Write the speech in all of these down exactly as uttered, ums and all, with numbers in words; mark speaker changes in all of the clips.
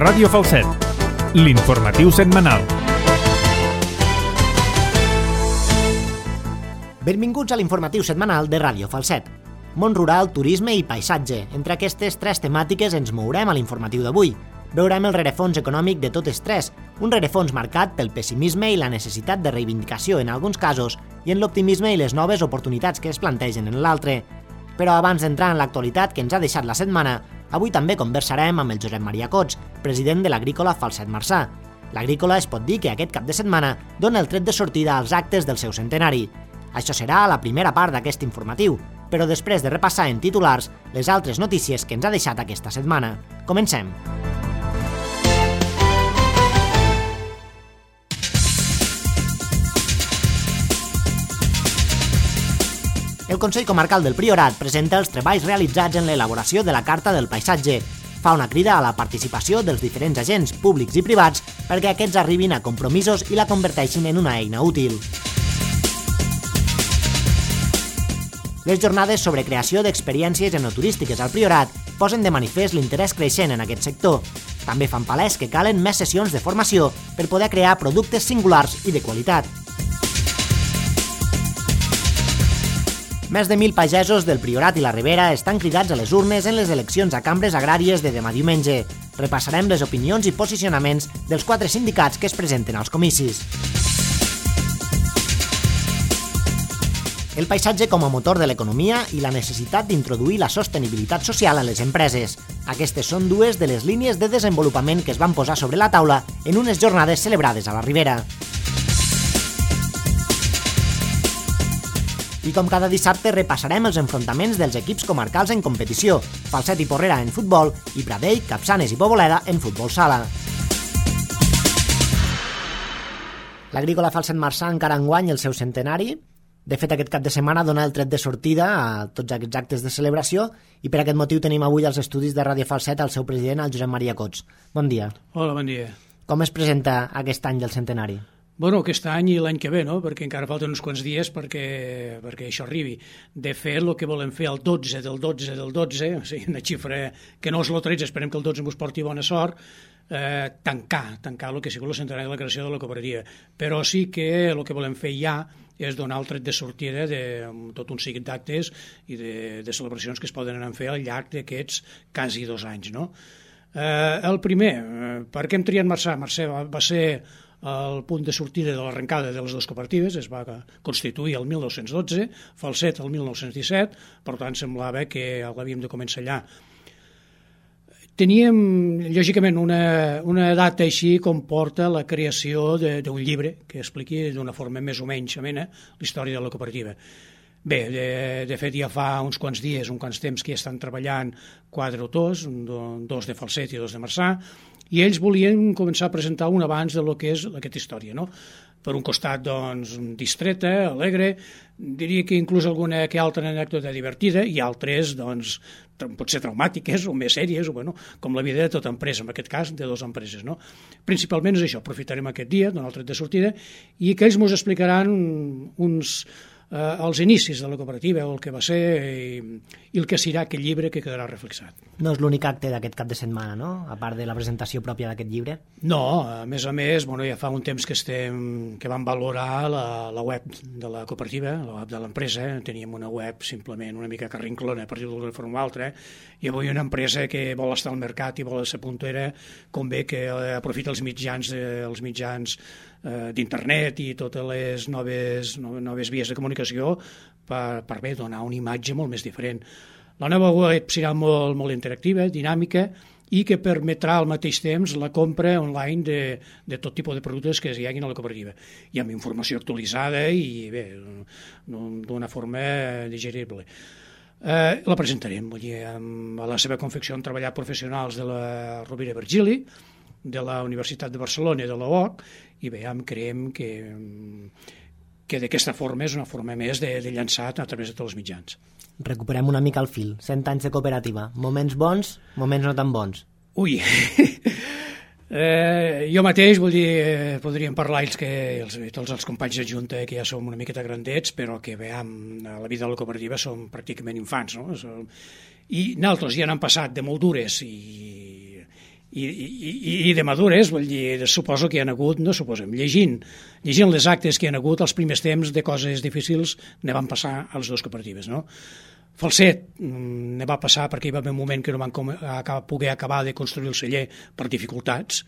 Speaker 1: Ràdio Falset, l'informatiu setmanal.
Speaker 2: Benvinguts a l'informatiu setmanal de Ràdio Falset. Món rural, turisme i paisatge. Entre aquestes tres temàtiques ens mourem a l'informatiu d'avui. Veurem el rerefons econòmic de totes tres, un rerefons marcat pel pessimisme i la necessitat de reivindicació en alguns casos i en l'optimisme i les noves oportunitats que es plantegen en l'altre. Però abans d'entrar en l'actualitat que ens ha deixat la setmana, avui també conversarem amb el Josep Maria Cots, president de l'Agrícola Falset Marçà. L'Agrícola es pot dir que aquest cap de setmana dona el tret de sortida als actes del seu centenari. Això serà la primera part d'aquest informatiu, però després de repassar en titulars les altres notícies que ens ha deixat aquesta setmana. Comencem! El Consell Comarcal del Priorat presenta els treballs realitzats en l'elaboració de la Carta del Paisatge. Fa una crida a la participació dels diferents agents públics i privats perquè aquests arribin a compromisos i la converteixin en una eina útil. Les jornades sobre creació d'experiències enoturístiques al Priorat posen de manifest l'interès creixent en aquest sector. També fan palès que calen més sessions de formació per poder crear productes singulars i de qualitat. Més de mil pagesos del Priorat i la Ribera estan cridats a les urnes en les eleccions a cambres agràries de demà diumenge. Repassarem les opinions i posicionaments dels quatre sindicats que es presenten als comicis. El paisatge com a motor de l'economia i la necessitat d'introduir la sostenibilitat social en les empreses. Aquestes són dues de les línies de desenvolupament que es van posar sobre la taula en unes jornades celebrades a la Ribera. I com cada dissabte repassarem els enfrontaments dels equips comarcals en competició, Falset i Porrera en futbol i Pradell, Capçanes i Poboleda en futbol sala. L'Agrícola Falset Marçà encara enguany el seu centenari. De fet, aquest cap de setmana dona el tret de sortida a tots aquests actes de celebració i per aquest motiu tenim avui als estudis de Ràdio Falset el seu president, el Josep Maria Cots. Bon dia.
Speaker 3: Hola, bon dia.
Speaker 2: Com es presenta aquest any del centenari?
Speaker 3: Bueno, aquest any i l'any que ve, no? Perquè encara falten uns quants dies perquè, perquè això arribi. De fet, el que volem fer el dotze del dotze del dotze, o sigui, una xifra que no és el tretze, esperem que el dotze ens porti bona sort, eh, tancar, tancar el que ha sigut el centenari de la creació de la cooperativa. Però sí que el que volem fer ja és donar el tret de sortida de tot un seguit d'actes i de, de celebracions que es poden anar a fer al llarg d'aquests quasi dos anys, no? Eh, el primer, eh, per què hem triat Marçà? Marçà va, va ser el punt de sortida de l'arrencada de les dues cooperatives, es va constituir el mil nou-cents dotze, Falset el mil nou-cents disset, per tant semblava que l'havíem de començar allà. Teníem, lògicament, una, una data així com porta la creació d'un llibre que expliqui d'una forma més o menys amena la història de la cooperativa. Bé, de, de fet ja fa uns quants dies, uns quants temps que ja estan treballant quatre autors, dos de Falset i dos de Marçà, i ells volien començar a presentar un abans de lo que és aquesta història, no? Per un costat, doncs, distreta, alegre, diria que inclús alguna que altra anècdota divertida i altres, doncs, potser traumàtiques o més sèries, o, bueno, com la vida de tota empresa, en aquest cas, de dues empreses, no? Principalment és això, aprofitarem aquest dia, donar el tret de sortida, i que ells ens explicaran uns... Eh, els inicis de la cooperativa, el que va ser i, i el que serà aquest llibre que quedarà reflexat.
Speaker 2: No és l'únic acte d'aquest cap de setmana, no? A part de la presentació pròpia d'aquest llibre?
Speaker 3: No, a més a més, bueno, ja fa un temps que estem que vam valorar la, la web de la cooperativa, la web de l'empresa. Teníem una web simplement una mica carrinclona, per dir-ho d'una forma o altra, i avui una empresa que vol estar al mercat i vol ser puntera, convé que aprofita els mitjans, eh, els mitjans eh, d'internet i totes les noves, noves vies de comunicació per, per bé donar una imatge molt més diferent. La nova web serà molt, molt interactiva, dinàmica, i que permetrà al mateix temps la compra online de, de tot tipus de productes que hi hagin a la cooperativa, i amb informació actualitzada i bé, d'una forma digerible. Eh, la presentarem, vull dir, amb a la seva confecció han treballat professionals de la Rovira i Virgili, de la Universitat de Barcelona i de la U O C, i bé, creiem que, que d'aquesta forma és una forma més de, de llançar a través de tots els mitjans.
Speaker 2: Recuperem una mica el fil. cent anys de cooperativa. Moments bons, moments no tan bons.
Speaker 3: Ui, eh, jo mateix, vull dir, eh, podríem parlar ells que els, tots els companys de Junta que ja som una miqueta grandets, però que veiem, a la vida de la cooperativa som pràcticament infants, no? I nosaltres ja n'han passat de molt dures i, i, i, i de madures, vull dir, suposo que hi ha hagut, no suposem, llegint, llegint les actes que hi ha hagut els primers temps de coses difícils ne van passar a les dues cooperatives, no? Falset ne va passar perquè hi va haver un moment que no van poder acabar de construir el celler per dificultats.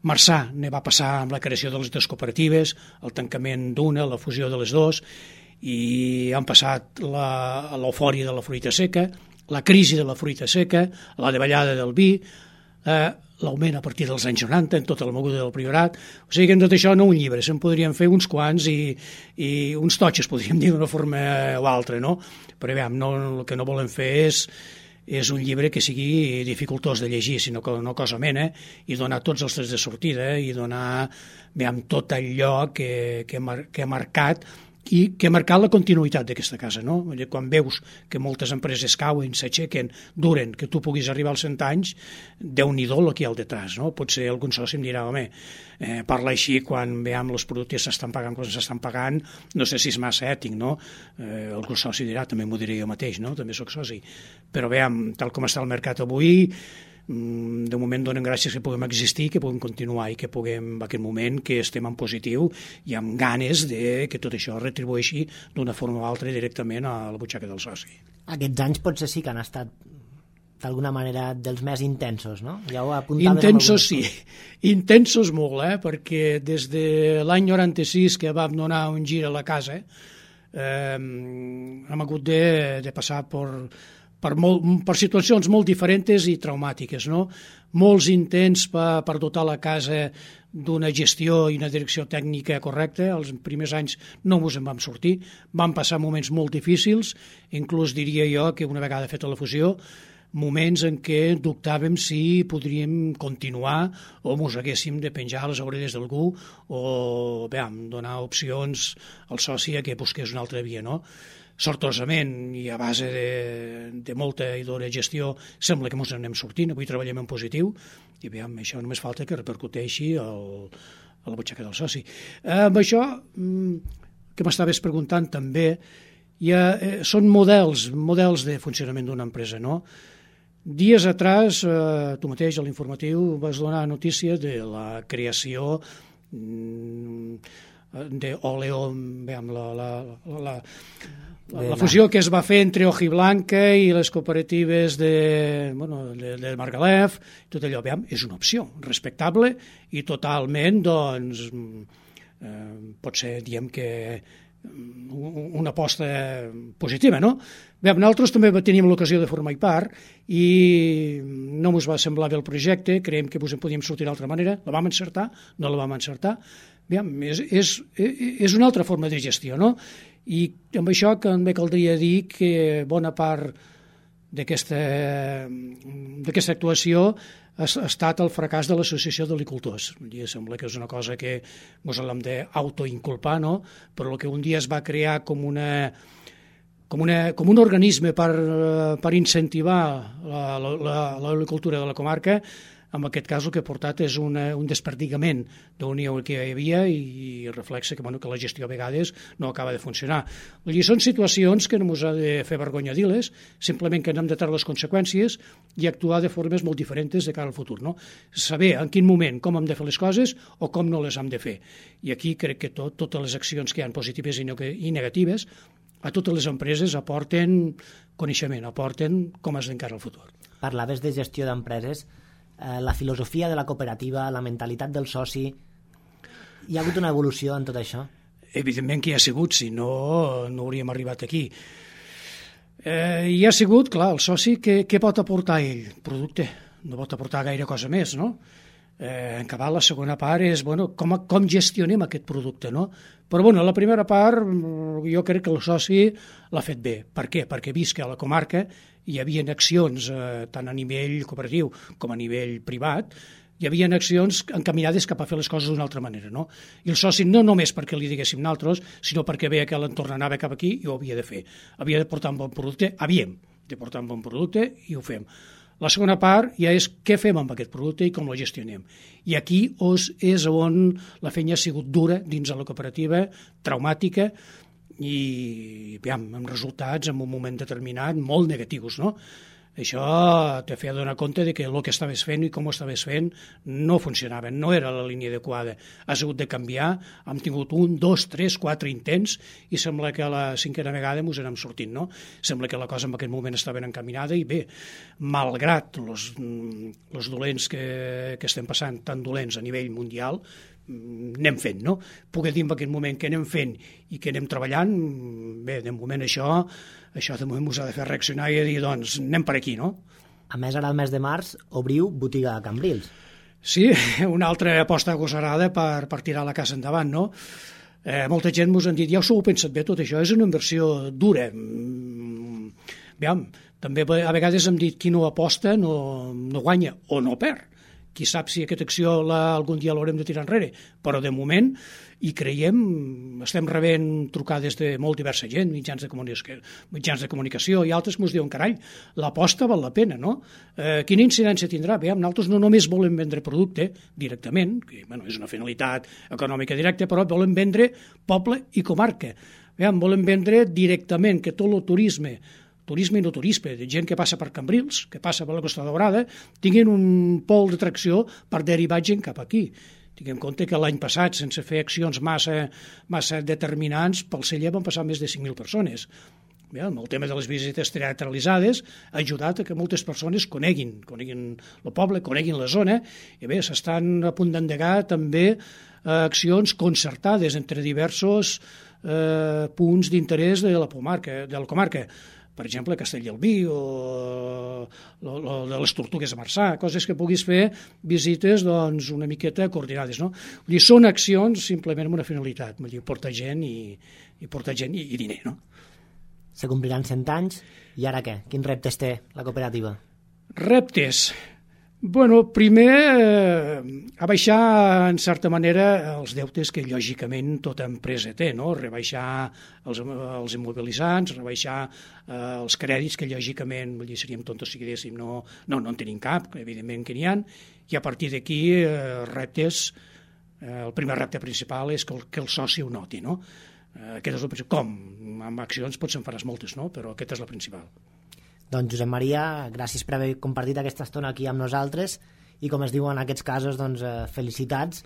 Speaker 3: Marçà ne va passar amb la creació de les dues cooperatives, el tancament d'una, la fusió de les dues, i han passat l'eufòria de la fruita seca, la crisi de la fruita seca, la davallada del vi, eh, l'augment a partir dels anys noranta en tota la moguda del Priorat. O sigui que en tot això no un llibre, se'n podrien fer uns quants i, i uns totxes, podríem dir d'una forma o altra, no? Però aviam, no, el que no volem fer és, és un llibre que sigui dificultós de llegir, sinó que no cosa mena, i donar tots els trets de sortida i donar aviam, tot allò que, que, mar, que ha marcat i que ha marcat la continuïtat d'aquesta casa, no? Quan veus que moltes empreses cauen, s'aixequen, duren, que tu puguis arribar als cent anys, Déu-n'hi-do el que hi ha al detrás, no? Potser algun soci em dirà, home, eh, parla així quan veiem els productes s'estan pagant quan s'estan pagant, no sé si és massa ètic, no? Eh, algun soci dirà, també m'ho diré jo mateix, no? També sóc soci. Però veiem, tal com està el mercat avui, de moment donen gràcies que puguem existir, que puguem continuar i que puguem, en aquest moment, que estem en positiu i amb ganes de que tot això retribueixi d'una forma o altra directament a la butxaca del soci.
Speaker 2: Aquests anys potser sí que han estat d'alguna manera dels més intensos, no? Ja ho apuntaves.
Speaker 3: Intensos sí, intensos molt, eh? Perquè des de l'any noranta-sis que vam donar un gir a la casa eh, hem hagut de, de passar per Per, molt, per situacions molt diferents i traumàtiques, no? Molts intents per, per dotar la casa d'una gestió i una direcció tècnica correcta. Els primers anys no ens en vam sortir, van passar moments molt difícils, inclús diria jo que una vegada feta la fusió, moments en què dubtàvem si podríem continuar o ens haguéssim de penjar les orelles d'algú o bé, donar opcions al soci a que busqués una altra via, no? Sortosament i a base de, de molta i d'hora gestió sembla que ens n'anem sortint, avui treballem en positiu i bé, amb això només falta que repercuteixi el, a la butxaca del soci. Eh, amb això que m'estaves preguntant també, ha, eh, són models, models de funcionament d'una empresa, no? Dies atrás, eh, tu mateix a l'informatiu vas donar notícia de la creació mm, d'Oleo, amb la, la, la, la, la fusió que es va fer entre Hojiblanca i les cooperatives de, bueno, de, de Margalef, tot allò, veiem, és una opció respectable i totalment, doncs, eh, pot ser, diem que una aposta positiva, no? Bé, nosaltres també teníem l'ocasió de formar part i no ens va semblar bé el projecte, creiem que ens en podíem sortir d'altra manera, la vam encertar, no la vam encertar. Bé, és, és, és una altra forma de gestió, no? I amb això també caldria dir que bona part d'aquesta d'aquesta actuació ha estat el fracàs de l'Associació d'Agricultors. Sembla que és una cosa que ens l'hem d'autoinculpar, no? Però el que un dia es va crear com una com, una, com un organisme per, per incentivar l'agricultura de la comarca, en aquest cas el que ha portat és una, un desperdigament d'unió que hi havia i reflexa que, bueno, que la gestió a vegades no acaba de funcionar. Vull dir, són situacions que no ens ha de fer vergonya dir-les, simplement que n'hem de treure les conseqüències i actuar de formes molt diferents de cara al futur, no? Saber en quin moment com hem de fer les coses o com no les hem de fer. I aquí crec que tot, totes les accions que hi ha positives i negatives a totes les empreses aporten coneixement, aporten com has d'encarar el futur.
Speaker 2: Parlaves de gestió d'empreses, eh, la filosofia de la cooperativa, la mentalitat del soci, hi ha hagut una evolució en tot això?
Speaker 3: Evidentment que hi ha sigut, si no, no hauríem arribat aquí. Eh, hi ha sigut, clar, el soci, què, què pot aportar ell? Producte, no pot aportar gaire cosa més, no? Eh, en acabar la segona part és, bueno, com, com gestionem aquest producte, no? Però, bueno, la primera part jo crec que el soci l'ha fet bé. Per què? Perquè he vist que a la comarca hi havia accions, eh, tant a nivell cooperatiu com a nivell privat, hi havia accions encaminades cap a fer les coses d'una altra manera, no? I el soci no només perquè li diguéssim nosaltres, sinó perquè veia que l'entorn anava cap aquí i ho havia de fer. Havia de portar un bon producte, havíem de portar un bon producte i ho fem. La segona part ja és què fem amb aquest producte i com lo gestionem. I aquí és on la feina ha sigut dura dins de la cooperativa, traumàtica i, aviam, amb resultats en un moment determinat molt negatius, no? Això te feia donar compte de que el que estaves fent i com ho estaves fent no funcionava, no era la línia adequada. Has hagut de canviar, hem tingut un, dos, tres, quatre intents i sembla que a la cinquena vegada ens n'hem sortit, no? Sembla que la cosa en aquest moment estava ben encaminada i bé, malgrat els dolents que, que estem passant, tan dolents a nivell mundial, anem fent, no? Puc dir en aquest moment que anem fent i que anem treballant, bé, de moment això, això de moment us ha de fer reaccionar i dir, doncs, anem per aquí, no?
Speaker 2: A més, ara al mes de març obriu botiga a Cambrils.
Speaker 3: Sí, una altra aposta agosarada per, per tirar la casa endavant, no? Eh, molta gent mos han dit, ja us ho heu pensat bé, tot això és una inversió dura. Aviam, també a vegades hem dit qui no aposta no, no guanya o no perd. Qui sap si aquesta acció la, algun dia l'haurem de tirar enrere, però de moment hi creiem, estem rebent trucades de molt diversa gent, mitjans de comunicació, mitjans de comunicació i altres ens diuen, carai, l'aposta val la pena, no? Eh, quina incidència tindrà? Bé, nosaltres no només volem vendre producte directament, que bueno, és una finalitat econòmica directa, però volem vendre poble i comarca. Bé, volem vendre directament que tot el turisme turisme i no turisme, de gent que passa per Cambrils, que passa per la Costa Daurada, tinguin un pol d'atracció per derivar gent cap aquí. Tinguem en compte que l'any passat, sense fer accions massa, massa determinants, pel celler van passar més de cinc mil persones. Bé, amb el tema de les visites teatralitzades ha ajudat a que moltes persones coneguin, coneguin el poble, coneguin la zona, i bé, s'estan a punt d'endegar també eh, accions concertades entre diversos eh, punts d'interès de la comarca, de la comarca. Per exemple, Castellalbí o, o, o de les Tortugues de Marçà, coses que puguis fer visites doncs, una miqueta coordinades. No? Vull dir, són accions simplement amb una finalitat, vull dir, portar gent i, i portar gent i, i diner. No?
Speaker 2: Se compliran cent anys, i ara què? Quins reptes té la cooperativa?
Speaker 3: Reptes. Bueno, primer, eh, abaixar, en certa manera, els deutes que, lògicament, tota empresa té, no? Rebaixar els, els immobilitzants, rebaixar eh, els crèdits, que, lògicament, vull dir, seríem tontos si diguéssim, no, no, no en tenim cap, evidentment que n'hi ha, i a partir d'aquí, eh, reptes, eh, el primer repte principal és que el, que el soci ho noti, no? Eh, aquest és el principal. Com? Amb accions potser en faràs moltes, no? Però aquesta és la principal.
Speaker 2: Doncs Josep Maria, gràcies per haver compartit aquesta estona aquí amb nosaltres i, com es diu en aquests casos, doncs, eh, felicitats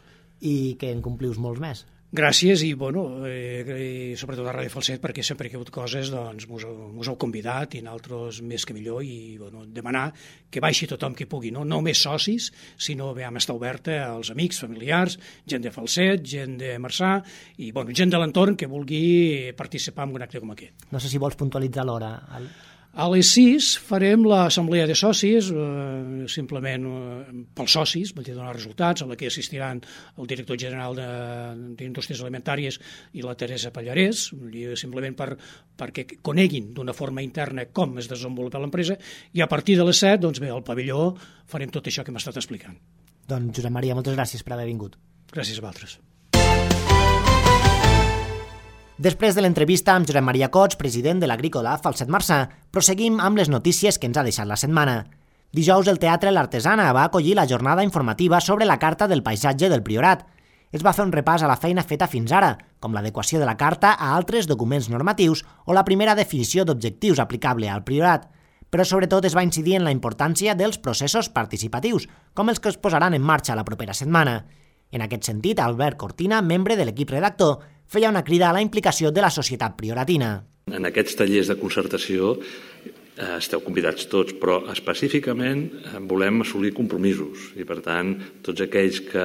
Speaker 2: i que en complius molts més.
Speaker 3: Gràcies i, bueno, eh, i sobretot a Ràdio Falset, perquè sempre que hi ha hagut coses doncs mos, mos heu convidat i nosaltres més que millor i bueno, demanar que baixi tothom que pugui, no, no només socis, sinó vam estar oberta als amics, familiars, gent de Falset, gent de Marçà i bueno, gent de l'entorn que vulgui participar en un acte com aquest.
Speaker 2: No sé si vols puntualitzar l'hora. El...
Speaker 3: A les sis farem l'assemblea de socis, eh, simplement eh, pels socis, vull dir, donar resultats, a la que assistiran el director general d'Indústries Alimentàries i la Teresa Pallarès, vull dir, simplement per, perquè coneguin d'una forma interna com es desenvolupa l'empresa, i a partir de les set, doncs bé, al pavelló farem tot això que m'ha estat explicant.
Speaker 2: Doncs Josep Maria, moltes gràcies per haver vingut.
Speaker 3: Gràcies a vosaltres.
Speaker 2: Després de l'entrevista amb Josep Maria Cots, president de l'Agrícola Falset Marçà, proseguim amb les notícies que ens ha deixat la setmana. Dijous el Teatre L'Artesana va acollir la jornada informativa sobre la Carta del Paisatge del Priorat. Es va fer un repàs a la feina feta fins ara, com l'adequació de la Carta a altres documents normatius o la primera definició d'objectius aplicable al Priorat. Però sobretot es va incidir en la importància dels processos participatius, com els que es posaran en marxa la propera setmana. En aquest sentit, Albert Cortina, membre de l'equip redactor, feia una crida a la implicació de la societat prioratina.
Speaker 4: En aquests tallers de concertació eh, esteu convidats tots, però específicament eh, volem assolir compromisos i, per tant, tots aquells que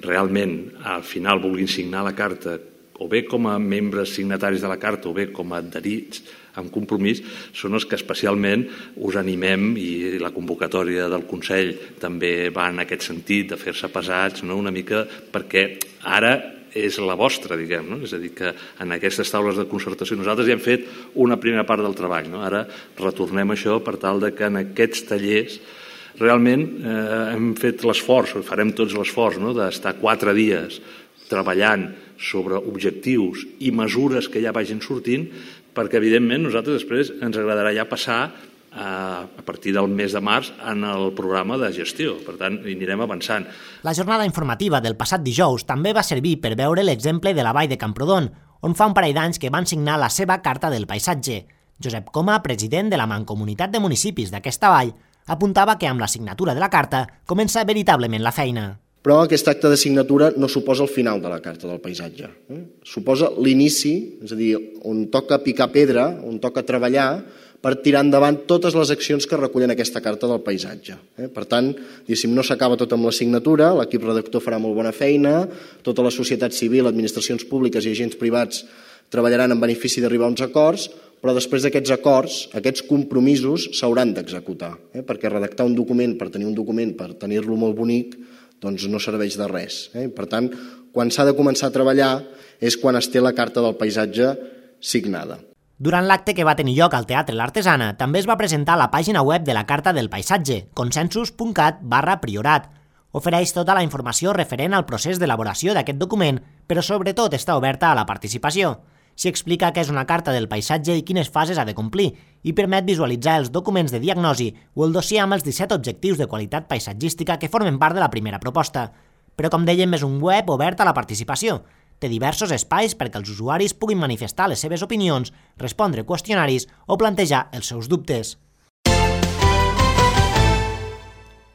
Speaker 4: realment al final vulguin signar la carta, o bé com a membres signataris de la carta o bé com a adherits amb compromís, són els que especialment us animem, i la convocatòria del Consell també va en aquest sentit, de fer-se pesats, no? Una mica, perquè ara és la vostra, diguem, no? És a dir, que en aquestes taules de concertació nosaltres ja hem fet una primera part del treball, no? Ara retornem això per tal de que en aquests tallers realment eh, hem fet l'esforç, farem tots l'esforç, no? D'estar quatre dies treballant sobre objectius i mesures que ja vagin sortint, perquè evidentment nosaltres després ens agradarà ja passar a partir del mes de març en el programa de gestió. Per tant, hi anirem avançant.
Speaker 2: La jornada informativa del passat dijous també va servir per veure l'exemple de la Vall de Camprodon, on fa un parell d'anys que van signar la seva Carta del Paisatge. Josep Coma, president de la Mancomunitat de Municipis d'aquesta vall, apuntava que amb la signatura de la carta comença veritablement la feina.
Speaker 5: Però aquest acte de signatura no suposa el final de la Carta del Paisatge. Eh? Suposa l'inici, és a dir, on toca picar pedra, on toca treballar per tirar endavant totes les accions que recullen aquesta Carta del Paisatge. Eh? Per tant, no s'acaba tot amb la signatura, l'equip redactor farà molt bona feina, tota la societat civil, administracions públiques i agents privats treballaran en benefici d'arribar a uns acords, però després d'aquests acords, aquests compromisos s'hauran d'executar, eh? perquè redactar un document per tenir un document, per tenir-lo molt bonic, doncs no serveix de res. Eh? Per tant, quan s'ha de començar a treballar és quan es té la Carta del Paisatge signada.
Speaker 2: Durant l'acte que va tenir lloc al Teatre L'Artesana, també es va presentar la pàgina web de la Carta del Paisatge, consensus punt cat barra priorat. Ofereix tota la informació referent al procés d'elaboració d'aquest document, però sobretot està oberta a la participació. S'hi explica què és una carta del paisatge i quines fases ha de complir, i permet visualitzar els documents de diagnosi o el dossier amb els disset objectius de qualitat paisatgística que formen part de la primera proposta. Però, com dèiem, és un web obert a la participació. Té diversos espais perquè els usuaris puguin manifestar les seves opinions, respondre qüestionaris o plantejar els seus dubtes.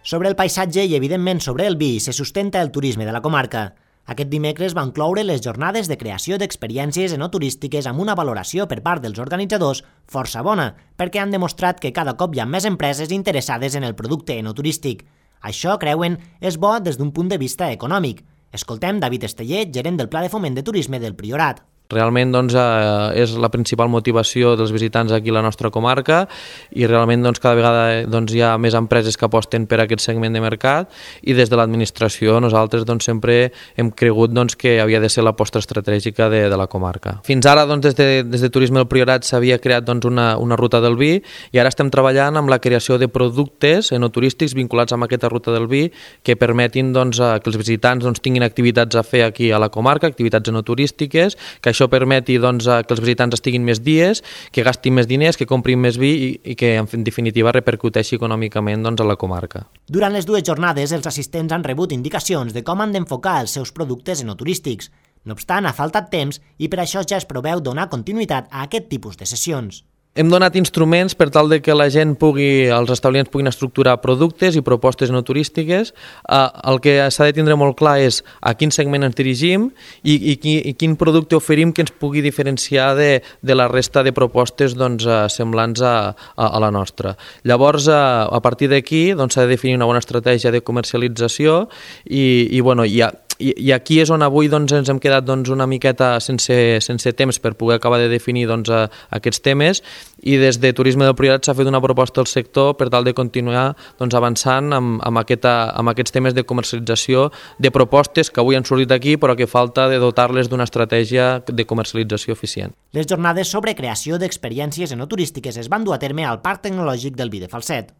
Speaker 2: Sobre el paisatge i, evidentment, sobre el vi, se sustenta el turisme de la comarca. Aquest dimecres van cloure les jornades de creació d'experiències enoturístiques amb una valoració per part dels organitzadors força bona, perquè han demostrat que cada cop hi ha més empreses interessades en el producte enoturístic. Això, creuen, és bo des d'un punt de vista econòmic. Escoltem David Esteller, gerent del Pla de Foment de Turisme del Priorat.
Speaker 6: Realment doncs, eh, és la principal motivació dels visitants aquí a la nostra comarca i realment doncs, cada vegada doncs, hi ha més empreses que aposten per aquest segment de mercat i des de l'administració nosaltres doncs, sempre hem cregut doncs, que havia de ser l'aposta estratègica de, de la comarca. Fins ara doncs, des, de, des de Turisme del Priorat s'havia creat doncs, una, una ruta del vi i ara estem treballant amb la creació de productes enoturístics vinculats amb aquesta ruta del vi que permetin doncs, que els visitants doncs, tinguin activitats a fer aquí a la comarca, activitats enoturístiques, que això permeti doncs, que els visitants estiguin més dies, que gastin més diners, que comprin més vi i, i que, en definitiva, repercuteixi econòmicament doncs, a la comarca.
Speaker 2: Durant les dues jornades, els assistents han rebut indicacions de com han d'enfocar els seus productes enoturístics. No obstant, ha faltat temps i per això ja es preveu donar continuïtat a aquest tipus de sessions.
Speaker 6: Hem donat instruments per tal de que la gent pugui, els establiments puguin estructurar productes i propostes enoturístiques. Eh, el que s'ha de tindre molt clar és a quin segment ens dirigim i, i, i quin producte oferim que ens pugui diferenciar de, de la resta de propostes doncs, semblants a, a, a la nostra. Llavors, a, a partir d'aquí doncs, s'ha de definir una bona estratègia de comercialització i, i, bueno, hi ha I, i aquí és on avui doncs, ens hem quedat doncs, una miqueta sense, sense temps per poder acabar de definir doncs, a, aquests temes i des de Turisme del Priorat s'ha fet una proposta al sector per tal de continuar doncs, avançant amb, amb, aquesta, amb aquests temes de comercialització de propostes que avui han sortit aquí però que falta de dotar-les d'una estratègia de comercialització eficient.
Speaker 2: Les jornades sobre creació d'experiències enoturístiques es van dur a terme al Parc Tecnològic del Vi de Falset.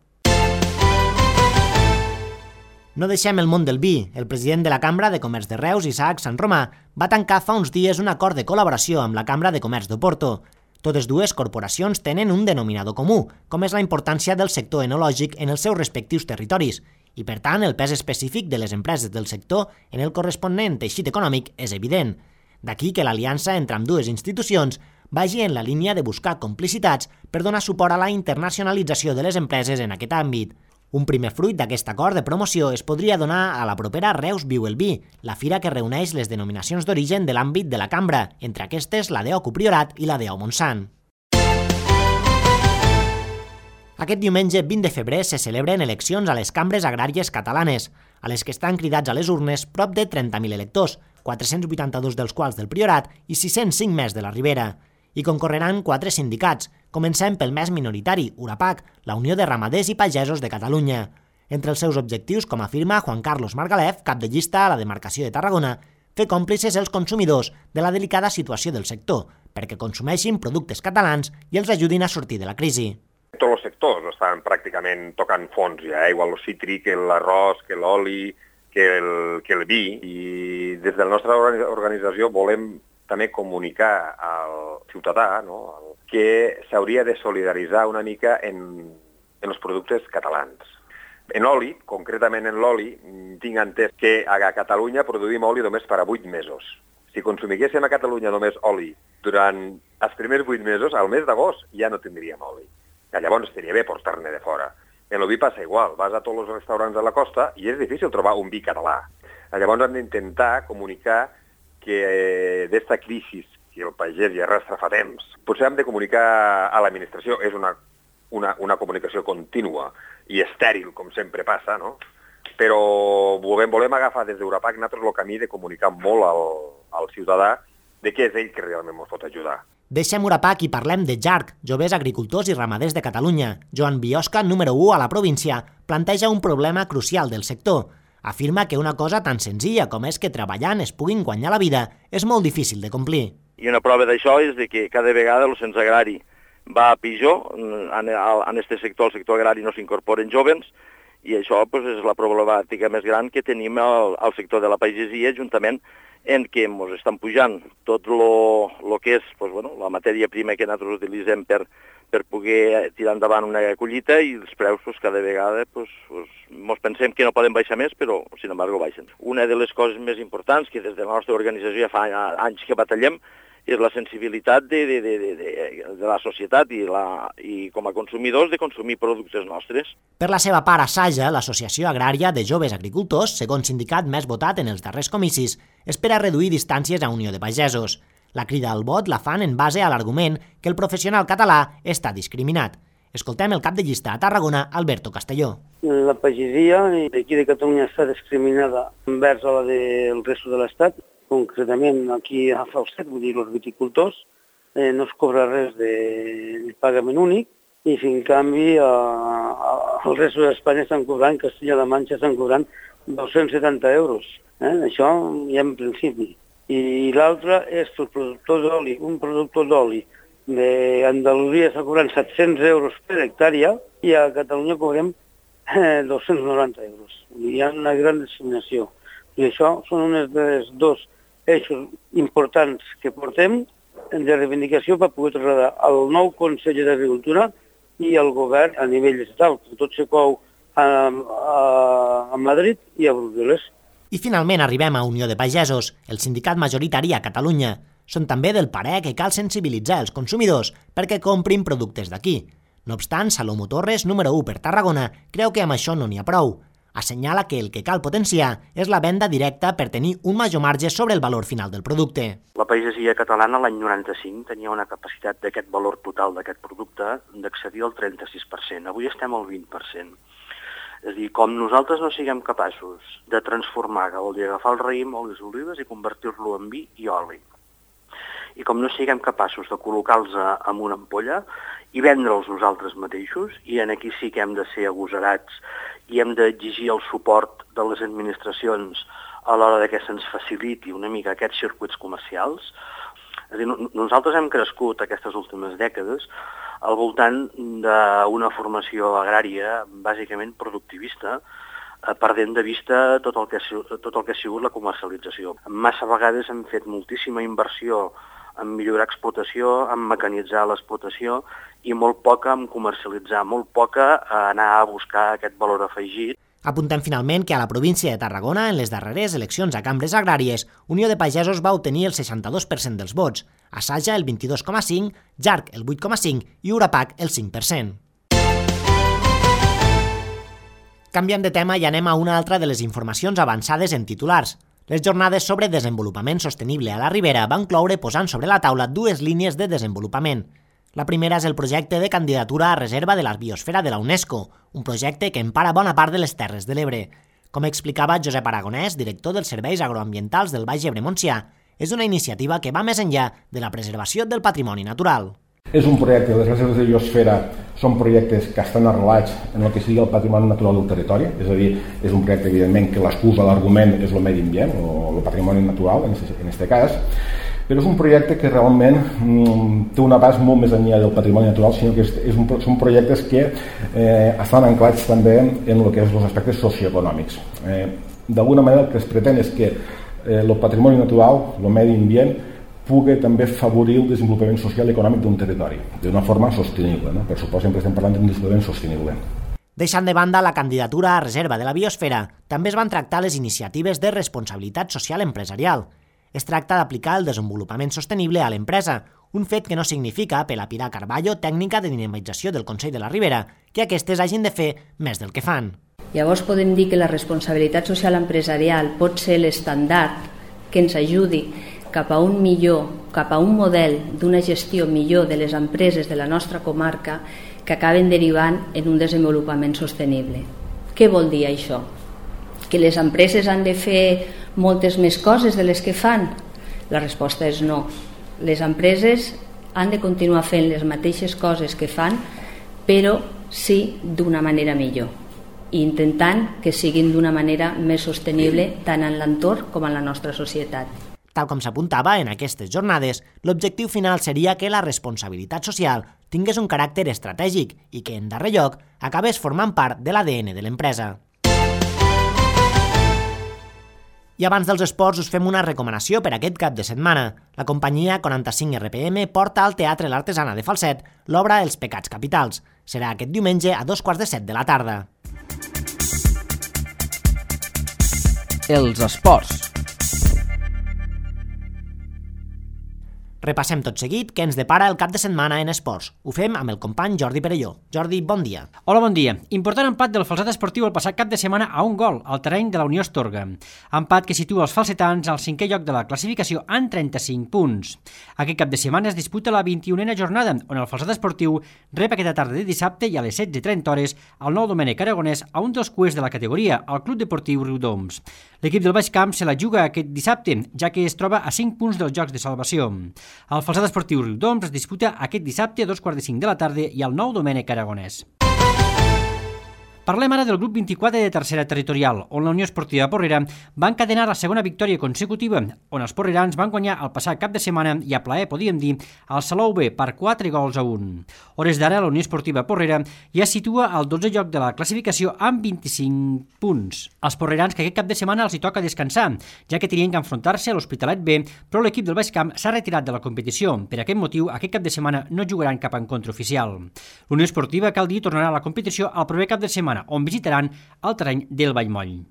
Speaker 2: No deixem el món del vi. El president de la Cambra de Comerç de Reus, Isaac Sant Romà, va tancar fa uns dies un acord de col·laboració amb la Cambra de Comerç d'Oporto. Totes dues corporacions tenen un denominador comú, com és la importància del sector enològic en els seus respectius territoris, i per tant el pes específic de les empreses del sector en el corresponent teixit econòmic és evident. D'aquí que l'aliança entre ambdues institucions vagi en la línia de buscar complicitats per donar suport a la internacionalització de les empreses en aquest àmbit. Un primer fruit d'aquest acord de promoció es podria donar a la propera Reus Viu el Vi, la fira que reuneix les denominacions d'origen de l'àmbit de la cambra, entre aquestes la d'E O C U Priorat i la d'E O Montsant. Aquest diumenge vint de febrer se celebren eleccions a les cambres agràries catalanes, a les que estan cridats a les urnes prop de trenta mil electors, quatre-cents vuitanta-dos dels quals del Priorat i sis-cents cinc més de la Ribera. Hi concorreran quatre sindicats. Comencem pel més minoritari, URAPAC, la Unió de Ramaders i Pagesos de Catalunya. Entre els seus objectius, com afirma Juan Carlos Margalef, cap de llista a la demarcació de Tarragona, fer còmplices els consumidors de la delicada situació del sector, perquè consumeixin productes catalans i els ajudin a sortir de la crisi.
Speaker 7: Tots els sectors estan pràcticament tocant fons ja, eh? Igual el cítric, l'arròs, que l'oli, que el, que el vi, i des de la nostra organització volem també comunicar al ciutadà, no?, que s'hauria de solidaritzar una mica en, en els productes catalans. En oli, concretament en l'oli, tinc entès que a Catalunya produïm oli només per a vuit mesos. Si consumiguéssim a Catalunya només oli durant els primers vuit mesos, al mes d'agost ja no tindríem oli. I llavors estaria bé portar-ne de fora. En el vi passa igual, vas a tots els restaurants de la costa i és difícil trobar un vi català. Llavors hem d'intentar comunicar que d'esta crisi que el pagès ja arrastra fa temps, potser hem de comunicar a l'administració, és una, una, una comunicació contínua i estèril, com sempre passa, no? Però volem, volem agafar des d'Europac nosaltres el camí de comunicar molt al, al ciutadà de què és ell que realment ens pot ajudar.
Speaker 2: Deixem Urapac i parlem de J A R C, Joves Agricultors i Ramaders de Catalunya. Joan Biosca, número u a la província, planteja un problema crucial del sector. Afirma que una cosa tan senzilla com és que treballant es puguin guanyar la vida és molt difícil de complir.
Speaker 8: I una prova d'això és de que cada vegada el cens agrari va a pitjor, en aquest sector, el sector agrari no s'incorporen jóvens, i això pues, és la problemàtica més gran que tenim al, al sector de la pagesia, juntament en què ens estan pujant tot el que és pues, bueno, la matèria prima que nosaltres utilitzem per, per poder tirar endavant una collita, i els preus pues, cada vegada pues, pues, ens pensem que no poden baixar més, però sin embargo baixen. Una de les coses més importants que des de la nostra organització ja fa anys que batallem és la sensibilitat de, de, de, de, de la societat i, la, i com a consumidors de consumir productes nostres.
Speaker 2: Per la seva part, Asaja, l'Associació Agrària de Joves Agricultors, segon sindicat més votat en els darrers comicis, espera reduir distàncies a Unió de Pagesos. La crida al vot la fan en base a l'argument que el professional català està discriminat. Escoltem el cap de llista a Tarragona, Alberto Castelló.
Speaker 9: La pagesia d'aquí de Catalunya està discriminada envers a la del resto de l'Estat. Concretament aquí a Falset, vull dir, els viticultors, eh, no es cobra res de, de pagament únic, i si en canvi a, a, al resto d'Espanya estan cobrant, Castella-La Manxa estan cobrant dos-cents setanta euros. Eh? Això ja en principi. I l'altre és els productors d'oli. Un productor d'oli d'Andalusia està cobrant set-cents euros per hectàrea i a Catalunya cobrem eh, dos-cents noranta euros. Hi ha una gran discriminació. I això són uns dels dos eixos importants que portem de reivindicació per poder traslladar al nou conseller d'Agricultura i al govern a nivell estatal, que tot se cou a, a, a Madrid i a Brussel·les.
Speaker 2: I finalment arribem a Unió de Pagesos, el sindicat majoritari a Catalunya. Són també del parer que cal sensibilitzar els consumidors perquè comprin productes d'aquí. No obstant, Salomó Torres, número u per Tarragona, creu que amb això no n'hi ha prou. Assenyala que el que cal potenciar és la venda directa per tenir un major marge sobre el valor final del producte.
Speaker 10: La pagesia catalana l'any noranta-cinc tenia una capacitat d'aquest valor total d'aquest producte d'accedir al trenta-sis per cent. Avui estem al vint per cent. És a dir, com nosaltres no siguem capaços de transformar, que vol dir agafar el raïm o les olives i convertir-lo en vi i oli, i com no siguem capaços de col·locar-los en una ampolla i vendre'ls nosaltres mateixos, i en aquí sí que hem de ser agosarats i hem d'exigir el suport de les administracions a l'hora que se'ns faciliti una mica aquests circuits comercials. És a dir, nosaltres hem crescut aquestes últimes dècades al voltant d'una formació agrària bàsicament productivista, perdent de vista tot el que, tot el que ha sigut la comercialització. Massa vegades hem fet moltíssima inversió en millorar explotació, en mecanitzar l'explotació, i molt poca en comercialitzar, molt poca a anar a buscar aquest valor afegit.
Speaker 2: Apuntem finalment que a la província de Tarragona, en les darreres eleccions a cambres agràries, Unió de Pagesos va obtenir el seixanta-dos per cent dels vots, Asaja el vint-i-dos coma cinc per cent, J A R C el vuit coma cinc per cent i Urapac el cinc per cent. Canviem de tema i anem a una altra de les informacions avançades en titulars. Les jornades sobre desenvolupament sostenible a la Ribera van cloure posant sobre la taula dues línies de desenvolupament. La primera és el projecte de candidatura a reserva de la biosfera de la UNESCO, un projecte que empara bona part de les Terres de l'Ebre. Com explicava Josep Aragonès, director dels Serveis Agroambientals del Baix Ebre Montsià, és una iniciativa que va més enllà de la preservació del patrimoni natural.
Speaker 11: És un projecte, les reserves de biosfera són projectes que estan arrelats en el que sigui el patrimoni natural del territori, és a dir, és un projecte evidentment que l'excusa, l'argument és el medi ambient o el patrimoni natural en aquest cas, però és un projecte que realment mm, té un abast molt més enllà del patrimoni natural, sinó que és, és un, són projectes que eh, estan anclats també en el que és els aspectes socioeconòmics. Eh, D'alguna manera el que es pretén és que eh, el patrimoni natural, el medi ambient, pugui també favorir el desenvolupament social i econòmic d'un territori, d'una forma sostenible. No? Per suposo, sempre estem parlant d'un desenvolupament sostenible.
Speaker 2: Deixant de banda la candidatura a reserva de la biosfera, també es van tractar les iniciatives de responsabilitat social empresarial. Es tracta d'aplicar el desenvolupament sostenible a l'empresa, un fet que no significa, per a Pilar Carballo, tècnica de dinamització del Consell de la Ribera, que aquestes hagin de fer més del que fan.
Speaker 12: Llavors podem dir que la responsabilitat social empresarial pot ser l'estandard que ens ajudi cap a un millor, cap a un model d'una gestió millor de les empreses de la nostra comarca que acaben derivant en un desenvolupament sostenible. Què vol dir això? Que les empreses han de fer moltes més coses de les que fan? La resposta és no. Les empreses han de continuar fent les mateixes coses que fan, però sí d'una manera millor, i intentant que siguin d'una manera més sostenible tant en l'entorn com en la nostra societat.
Speaker 2: Tal com s'apuntava en aquestes jornades, l'objectiu final seria que la responsabilitat social tingués un caràcter estratègic i que, en darrer lloc, acabés formant part de l'A D N de l'empresa. I abans dels esports us fem una recomanació per aquest cap de setmana. La companyia quaranta-cinc R P M porta al Teatre l'Artesana de Falset l'obra Els pecats capitals. Serà aquest diumenge a dos quarts de set de la tarda.
Speaker 13: Els esports.
Speaker 2: Repassem tot seguit què ens depara el cap de setmana en esports. Ho fem amb el company Jordi Perelló. Jordi, bon dia.
Speaker 14: Hola, bon dia. Important empat del Falset Esportiu el passat cap de setmana a un gol al terreny de la Unió Astorga. Empat que situa els falsetans al cinquè lloc de la classificació en trenta-cinc punts. Aquest cap de setmana es disputa la vint-i-unena jornada, on el Falset Esportiu rep aquesta tarda de dissabte i a les setze i trenta hores al nou Domènec Aragonès a un dels cuers de la categoria, el Club Deportiu Riudoms. L'equip del Baix Camp se la juga aquest dissabte, ja que es troba a cinc punts dels Jocs de Salvació. El Falset Esportiu Riudoms es disputa aquest dissabte a dos quarts de cinc de la tarda i al nou Domènec Aragonès. Parlem ara del grup vint-i-quatre de tercera territorial, on la Unió Esportiva Porrera va encadenar la segona victòria consecutiva, on els porrerans van guanyar el passat cap de setmana i a plaer, podíem dir, al Salou B per quatre gols a un. Hores d'ara, la Unió Esportiva Porrera ja situa al dotzè lloc de la classificació amb vint-i-cinc punts. Els porrerans que aquest cap de setmana els hi toca descansar, ja que tenien que enfrontar-se a l'Hospitalet B, però l'equip del Baix Camp s'ha retirat de la competició. Per aquest motiu, aquest cap de setmana no jugaran cap encontre oficial. La Unió Esportiva, cal dir, tornarà a la competició el proper cap de setmana, on visitaran el terreny del Vallmoll.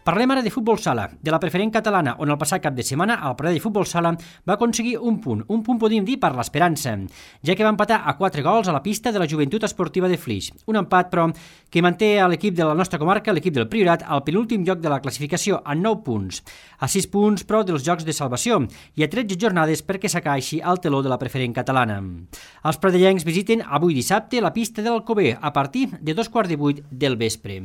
Speaker 14: Parlem ara de futbol sala, de la preferent catalana, on el passat cap de setmana el parell de futbol sala va aconseguir un punt, un punt podríem dir per l'esperança, ja que va empatar a quatre gols a la pista de la Joventut Esportiva de Flix. Un empat, però, que manté a l'equip de la nostra comarca, l'equip del Priorat, al penúltim lloc de la classificació, amb nou punts, a sis punts, però, dels Jocs de Salvació, i a tretze jornades perquè s'acaixi al teló de la preferent catalana. Els pradellencs visiten avui dissabte la pista de l'Alcover a partir de dos quarts de vuit del vespre.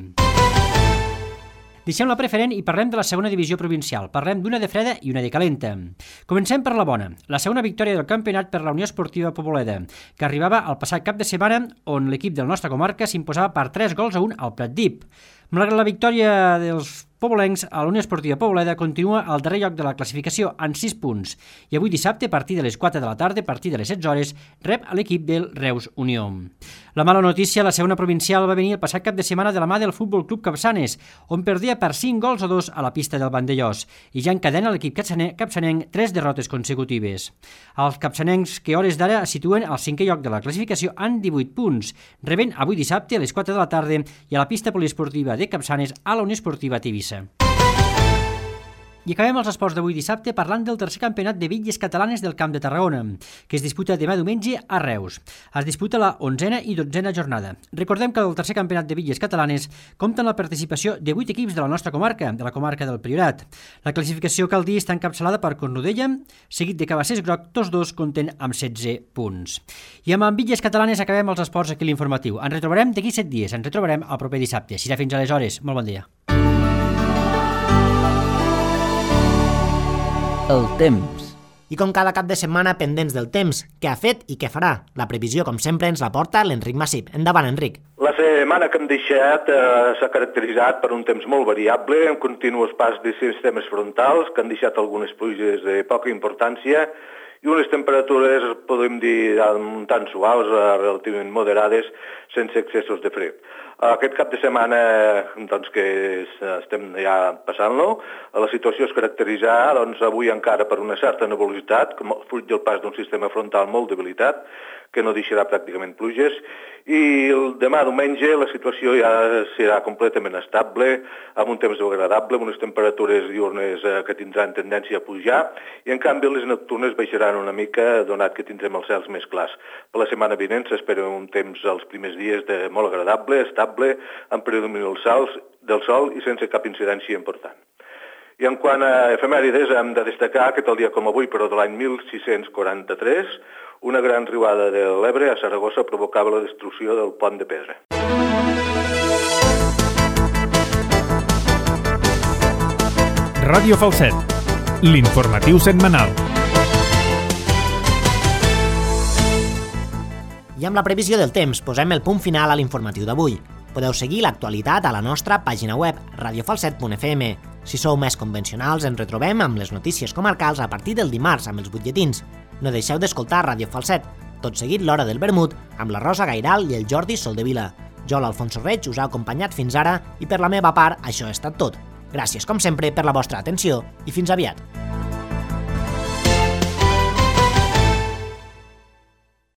Speaker 14: Deixem la preferent i parlem de la segona divisió provincial. Parlem d'una de freda i una de calenta. Comencem per la bona. La segona victòria del campionat per la Unió Esportiva Poboleda, que arribava al passat cap de setmana, on l'equip de la nostra comarca s'imposava per tres gols a un al Pratdip. Malgrat la victòria dels pobolencs, a la Unió Esportiva Poboleda continua al darrer lloc de la classificació en sis punts i avui dissabte, a partir de les quatre de la tarda, a partir de les setze hores, rep a l'equip del Reus Unió. La mala notícia, la segona provincial, va venir el passat cap de setmana de la mà del Futbol Club Capçanes, on perdia per cinc gols a dos a la pista del Vandellós, i ja encadena l'equip capçanenc tres derrotes consecutives. Els capçanencs, que hores d'ara es situen al cinquè lloc de la classificació en divuit punts, rebent avui dissabte a les quatre de la tarda i a la pista poliesportiva de Capçanes a la Unió Esportiva Tivissa. I acabem els esports d'avui dissabte parlant del tercer campionat de bitlles catalanes del Camp de Tarragona, que es disputa demà diumenge a Reus. Es disputa la onzena i dotzena jornada. Recordem que el tercer campionat de bitlles catalanes compta amb la participació de vuit equips de la nostra comarca, de la comarca del Priorat. La classificació, cal dir, està encapçalada per Cornudella, seguit de Cabassers Groc, tots dos compten amb setze punts. I amb bitlles catalanes acabem els esports aquí a l'informatiu. Ens retrobarem d'aquí set dies, ens retrobarem el proper dissabte. Serà fins aleshores. Molt bon dia.
Speaker 13: El temps.
Speaker 2: I com cada cap de setmana, pendents del temps, què ha fet i què farà. La previsió, com sempre, ens la porta l'Enric Massip. Endavant, Enric.
Speaker 15: La setmana que hem deixat eh, s'ha caracteritzat per un temps molt variable, amb continuos pas de sistemes frontals que han deixat algunes pluges de poca importància i unes temperatures, podem dir, tan suaus, relativament moderades, sense excessos de fred. Aquest cap de setmana, doncs, que estem ja passant-lo, la situació es caracteritza, doncs, avui encara per una certa nebulositat, fruit del pas d'un sistema frontal molt debilitat, que no deixarà pràcticament pluges, I el demà diumenge la situació ja serà completament estable, amb un temps agradable, amb unes temperatures diurnes que tindran tendència a pujar, i en canvi les nocturnes baixaran una mica, donat que tindrem els cels més clars. Per la setmana vinent s'espera un temps els primers dies de molt agradable, estable, amb predomini del sol, del sol i sense cap incidència important. I en quant a efemèrides, hem de destacar que tal dia com avui, però de l'any mil sis-cents quaranta-tres, una gran riuada de l'Ebre a Saragossa provocava la destrucció del pont de pedra.
Speaker 1: Ràdio Falset, l'informatiu setmanal.
Speaker 2: I amb la previsió del temps posem el punt final a l'informatiu d'avui. Podeu seguir l'actualitat a la nostra pàgina web, radio falset punt f m. Si sou més convencionals, ens retrobem amb les notícies comarcals a partir del dimarts amb els butlletins. No deixeu d'escoltar Ràdio Falset, tot seguit l'Hora del Vermut, amb la Rosa Gairal i el Jordi Soldevila. Jo, l'Alfonso Reig, us ha acompanyat fins ara i per la meva part això ha estat tot. Gràcies, com sempre, per la vostra atenció i fins aviat.